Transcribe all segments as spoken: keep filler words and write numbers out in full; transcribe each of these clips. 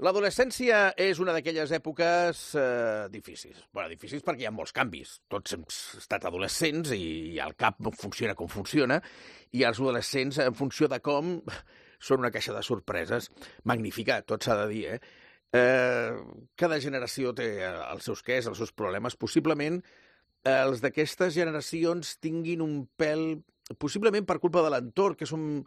L'adolescència és una d'aquelles èpoques eh, difícils. Bé, difícils perquè hi ha molts canvis. Tots hem estat adolescents i el cap funciona com funciona, i els adolescents, en funció de com, són una caixa de sorpreses. Magnífica, tot s'ha de dir, eh? eh? Cada generació té els seus quès, els seus problemes. Possiblement els d'aquestes generacions tinguin un pèl, possiblement per culpa de l'entorn, que són...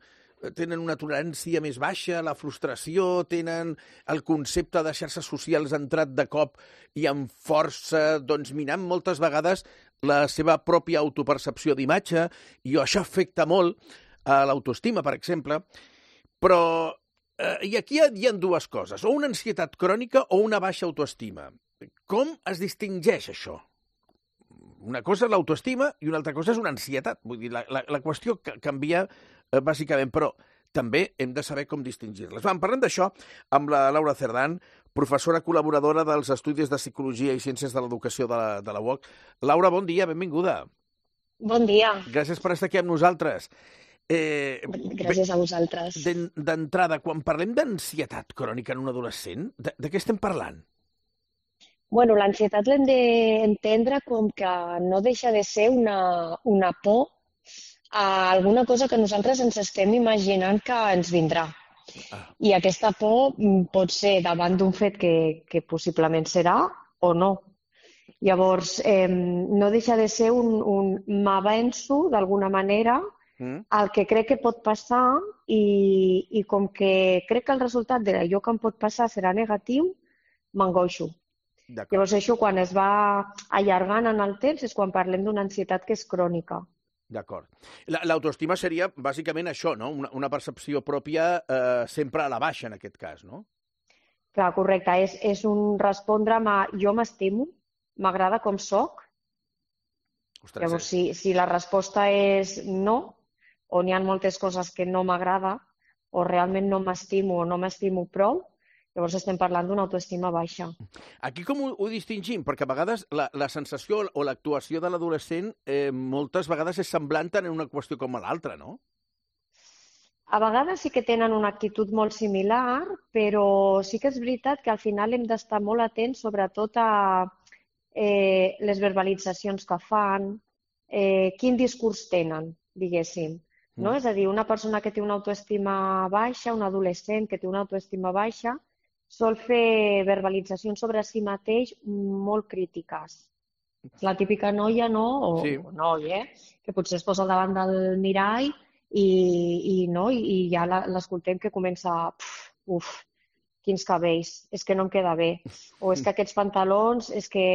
tenen una tolerància més baixa, la frustració, tenen el concepte de xarxes socials entrat de cop i amb força, doncs minant moltes vegades la seva pròpia autopercepció d'imatge, i això afecta molt a l'autoestima, per exemple. Però, eh, i aquí hi ha dues coses, o una ansietat crònica o una baixa autoestima. Com es distingeix això? Una cosa és l'autoestima i una altra cosa és una ansietat. Vull dir, la, la, la qüestió canvia eh, bàsicament, però també hem de saber com distingir-les. Vam, parlem d'això amb la Laura Cerdán, professora col·laboradora dels Estudis de Psicologia i Ciències de l'Educació de la, de la U O C. Laura, bon dia, benvinguda. Bon dia. Gràcies per estar aquí amb nosaltres. Eh, Gràcies a vosaltres. D'entrada, quan parlem d'ansietat crònica en un adolescent, de, de què estem parlant? Bueno, l'ansietat l'hem d'entendre com que no deixa de ser una, una por a alguna cosa que nosaltres ens estem imaginant que ens vindrà. Ah. I aquesta por pot ser davant d'un fet que, que possiblement serà o no. Llavors, eh, no deixa de ser un, un m'avenço d'alguna manera mm. al que crec que pot passar i, i com que crec que el resultat d'allò que em pot passar serà negatiu, m'angoixo. Llavors, això, quan es va allargant en el temps, és quan parlem d'una ansietat que és crònica. D'acord. L'autoestima seria, bàsicament, això, no? Una, una percepció pròpia eh, sempre a la baixa, en aquest cas, no? Clar, correcte. És, és un respondre a jo m'estimo, m'agrada com soc. Ostres, Llavors, si, si la resposta és no, o n'hi ha moltes coses que no m'agrada, o realment no m'estimo o no m'estimo prou, llavors estem parlant d'una autoestima baixa. Aquí com ho, ho distingim? Perquè a vegades la, la sensació o l'actuació de l'adolescent eh, moltes vegades és semblant en una qüestió com a l'altra, no? A vegades sí que tenen una actitud molt similar, però sí que és veritat que al final hem d'estar molt atents sobretot a eh, les verbalitzacions que fan, eh, quin discurs tenen, diguéssim. No? Mm. És a dir, una persona que té una autoestima baixa, un adolescent que té una autoestima baixa, sol fer verbalitzacions sobre si mateix molt crítiques. La típica noia, no? O, sí. o noi, eh? Que potser es posa al davant del mirall i, i, no? I, i ja l'escoltem que comença uf, uf, quins cabells, és que no em queda bé. O és que aquests pantalons, és que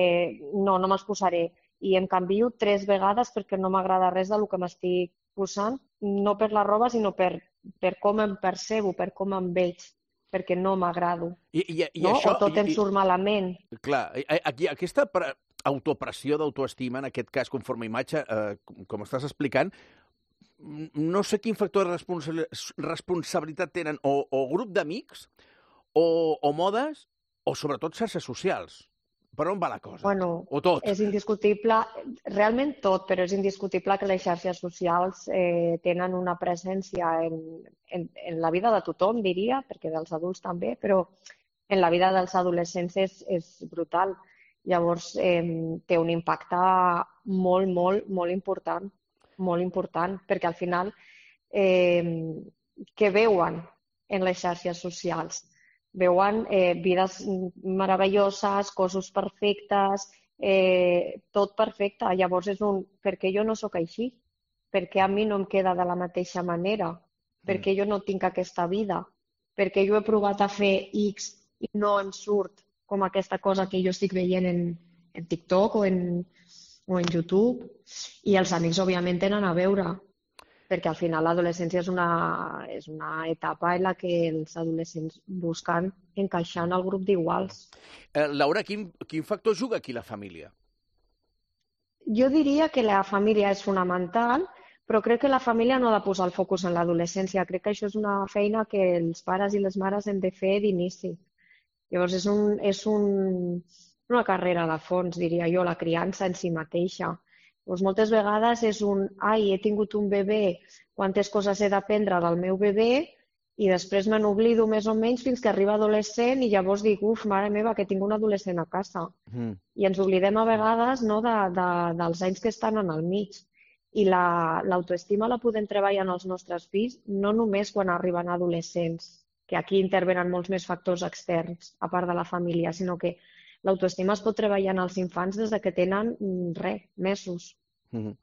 no, no me'ls posaré. I em canvio tres vegades perquè no m'agrada res del que m'estic posant, no per la roba, sinó per, per com em percebo, per com em veig, perquè no m'agrado. I, i, i no? això, o tot em i, surt malament. Clar, aquí, aquesta autopressió d'autoestima, en aquest cas, conforme a imatge, eh, com estàs explicant, no sé quin factor de responsabilitat tenen o, o grup d'amics, o, o modes, o sobretot xarxes socials. Per on va la cosa? Bueno, o tot? És indiscutible, realment tot, però és indiscutible que les xarxes socials eh, tenen una presència en, en, en la vida de tothom, diria, perquè dels adults també, però en la vida dels adolescents és, és brutal. Llavors, eh, té un impacte molt, molt, molt important, molt important, perquè al final, eh, què veuen en les xarxes socials? Veuen eh, vides meravelloses, cossos perfectes, eh, tot perfecte. Llavors és un, per què jo no sóc així? Per què a mi no em queda de la mateixa manera? Per què jo no tinc aquesta vida? Per què jo he provat a fer X i no em surt com aquesta cosa que jo estic veient en, en TikTok o en, o en YouTube? I els amics, òbviament, tenen a veure, perquè al final l'adolescència és una, és una etapa en la que els adolescents busquen encaixar en el grup d'iguals. Eh, Laura, quin, quin factor juga aquí la família? Jo diria que la família és fonamental, però crec que la família no ha de posar el focus en l'adolescència. Crec que això és una feina que els pares i les mares hem de fer d'inici. Llavors és, un, és un, una carrera de fons, diria jo, la criança en si mateixa. Doncs moltes vegades és un, ai, he tingut un bebè, quantes coses he d'aprendre del meu bebè i després me n'oblido més o menys fins que arriba adolescent i llavors dic, uf, mare meva, que tinc un adolescent a casa. Mm. I ens oblidem a vegades, no, de, de, dels anys que estan en el mig. I la, l'autoestima la podem treballar en els nostres fills no només quan arriben adolescents, que aquí intervenen molts més factors externs, a part de la família, sinó que l'autoestima es pot treballar en els infants des de que tenen, res, mesos. Mm-hmm.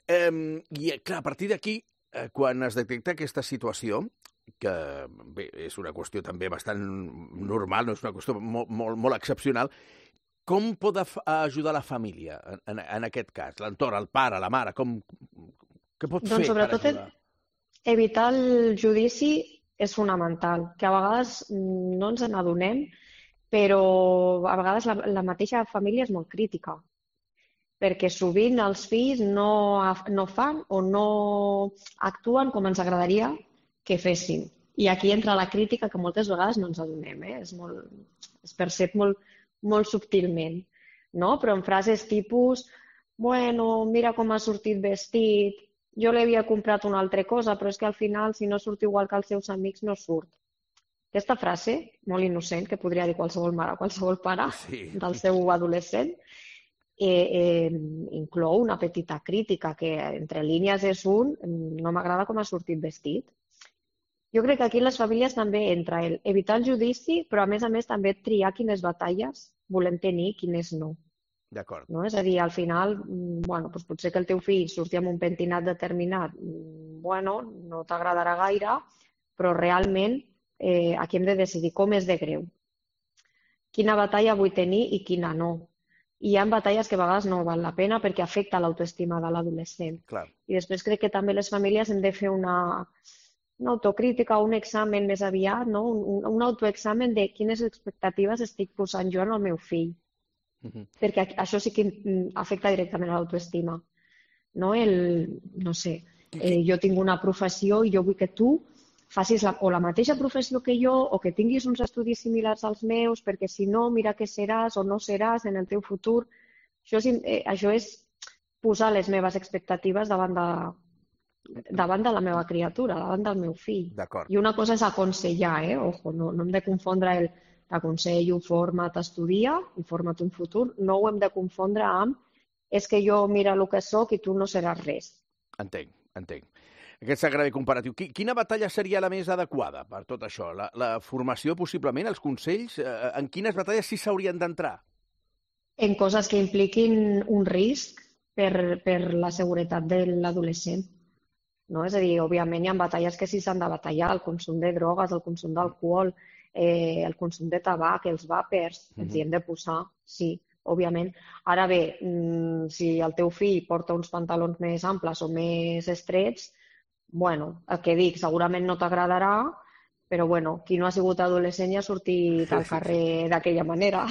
eh, I, clar, a partir d'aquí, eh, quan es detecta aquesta situació, que bé, és una qüestió també bastant normal, no és una qüestió molt, molt, molt excepcional, com pot ajudar la família en, en, en aquest cas? L'entorn, el pare, la mare, com, què pot doncs, fer sobretot, per ajudar? Evitar el judici és fonamental, que a vegades no ens n'adonem, però a vegades la, la mateixa família és molt crítica, perquè sovint els fills no, no fan o no actuen com ens agradaria que fessin. I aquí entra la crítica que moltes vegades no ens adonem, eh? És molt, es percep molt, molt subtilment, no? Però en frases tipus, bueno, mira com ha sortit vestit, jo li havia comprat una altra cosa, però és que al final, si no surt igual que els seus amics, no surt. Aquesta frase, molt innocent, que podria dir qualsevol mare o qualsevol pare sí. del seu adolescent, eh, eh, inclou una petita crítica, que entre línies és un, no m'agrada com ha sortit vestit. Jo crec que aquí les famílies també entra el evitar el judici, però a més a més també triar quines batalles volem tenir i quines no. D'acord. No? És a dir, al final, bueno, doncs potser que el teu fill surti amb un pentinat determinat, bueno, no t'agradarà gaire, però realment eh, aquí hem de decidir com és de greu. Quina batalla vull tenir i quina no. I hi ha batalles que a vegades no val la pena perquè afecta l'autoestima de l'adolescent. Clar. I després crec que també les famílies hem de fer una... una autocrítica o un examen més aviat, no? un, un autoexamen de quines expectatives estic posant jo en el meu fill. Uh-huh. Perquè això sí que afecta directament a l'autoestima. No? El, no sé, eh, jo tinc una professió i jo vull que tu facis la, o la mateixa professió que jo o que tinguis uns estudis similars als meus, perquè si no, mira què seràs o no seràs en el teu futur. Això és, eh, això és posar les meves expectatives davant de davant de la meva criatura, davant del meu fill. I una cosa és aconsellar, eh? Ojo, no, no hem de confondre el t'aconsello, forma't, estudia, informa't un futur, no ho hem de confondre amb és que jo mira el que sóc i tu no seràs res. Entenc, entenc. Aquest s'agrada comparatiu. Quina batalla seria la més adequada per tot això? La, la formació, possiblement, els consells? En quines batalles sí s'haurien d'entrar? En coses que impliquin un risc per, per la seguretat de l'adolescent. No? És a dir, òbviament hi ha batalles que sí s'han de batallar, el consum de drogues, el consum d'alcohol, eh, el consum de tabac, els vàpers, mm-hmm. ens hi hem de posar, sí, òbviament. Ara bé, mmm, si el teu fill porta uns pantalons més amples o més estrets, bueno, el que dic, segurament no t'agradarà, però bueno, qui no ha sigut adolescent ja ha sortit al carrer d'aquella manera.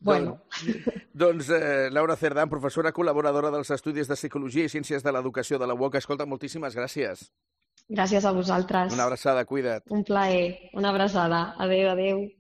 Bueno. Doncs, doncs eh, Laura Cerdán, professora col·laboradora dels Estudis de Psicologia i Ciències de l'Educació de la U O C. Escolta, moltíssimes gràcies. Gràcies a vosaltres. Una abraçada, cuida't. Un plaer, una abraçada. Adéu, adéu.